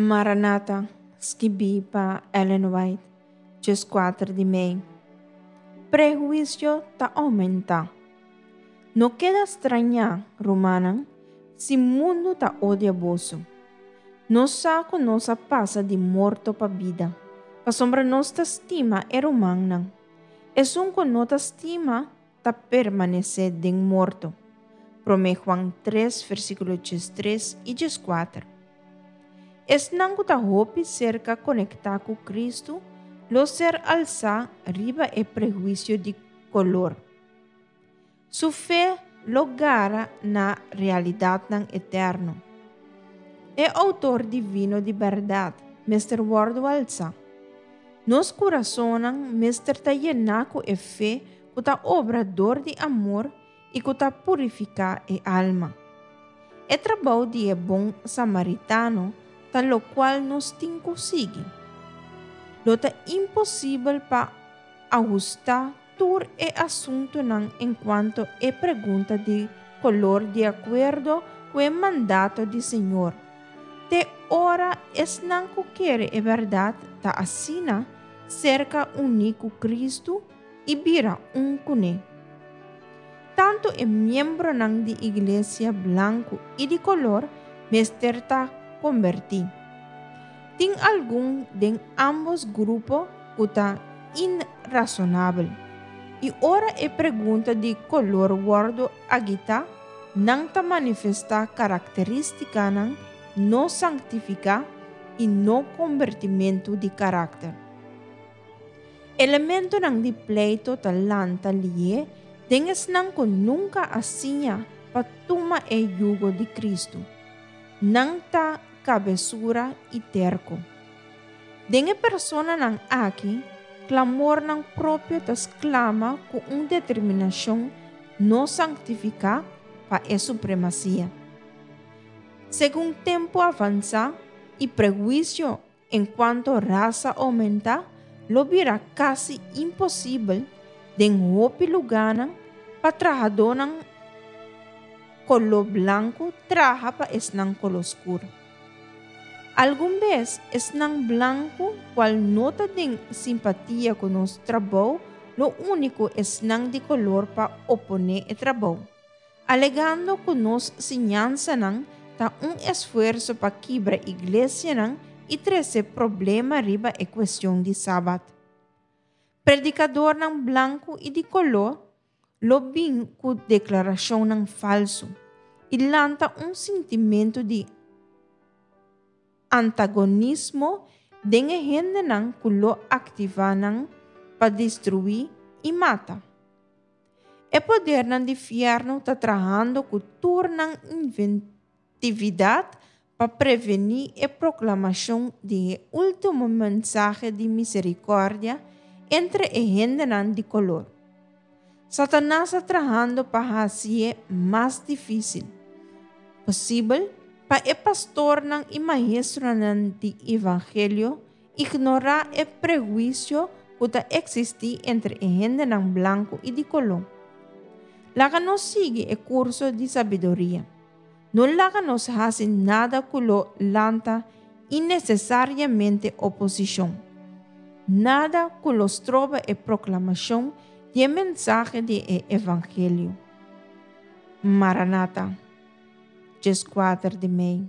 Maranata, skibí pa Ellen White, 14 di mei. Prehuisio ta oumentá. No keda strañá, rumannan, si mundu ta odia boso. Nos sa ku nos a pasa di morto pa bida, pasobra nos ta stima e rumannan. Esun ku no ta stima ta permanesé den morto. Promé Juan 3, versíkulo 13 i 14. Esnan ku ta hopi serka konektá ku Kristu lo ser alsá riba e prehuisio di kolor. Su fe lo gara na realidatnan eterno. E Outor Divino di bèrdat mester wòrdu alsá. Nos kurasonnan mester ta yená ku e fe ku ta obra dor di amor i ku ta purifiká e alma. E trabou di e bon samaritano ta lokual nos tin ku sigui. Lo ta imposibel pa ahustá tur e asuntunan enkuanto e pregunta di kolor di akuerdo ku e mandato di Señor. Te ora esnan ku kere e bèrdat ta asina serka uní ku Kristu i bira un kuné. Tantu e miembronan di iglesia blanku i di kolor mester ta kombertí. Tin algun den ámbos grupo ku ta inrasonabel. I ora e pregunta di kolor wòrdu agitá, nan ta manifestá karakterístikanan no sanktifiká i no kombertimentu di karakter. Elementonan di pleito ta lanta lié den esnan ku nunka a siña pa tuma e yugo di Kristu. Nan ta kabesura i terko. Den e personanan aki, klamornan propio ta sklama ku un determinashon no sanktifiká pa e supremasia. Segun tempu avansá i prehuisio enkuanto rasa oumentá, lo bira kasi imposibel den hopi lugánan pa trahadónan koló blanku traha pa esnan koló skur. Algun bes esnan blanku kual no ta den simpatia ku nos trabou lo uni ku esnan di kolor pa oponé e trabou, alegando ku nos siñansanan ta un esfuerso pa kibra iglesianan i trese problema riba e kuestion di Sabat. Predikadornan blanku i di koló lo bin ku deklarashonnan falsu i lanta un sintimentu di antagonismo den e hendenan ku lo aktivá nan pa destruí i mata. E podernan di fièrnu ta trahando ku tur nan inventividat pa prevení e proklamashon di e último mensahe di miserikòrdia entre e hendenan di kolor. Satanas ta trahando pa hasié mas difísil posibel pa e pastornan i maestronan di evangelio ignorá e prehuisio ku ta eksistí entre e hendenan blanku i di koló. Laga nos sigui e kurso di sabiduria. No laga nos hasi nada ku lo lanta innesesariamente oposishon. Nada ku lo stroba e proklamashon di e mensahe di e evangelio. Maranata, 14 di mei.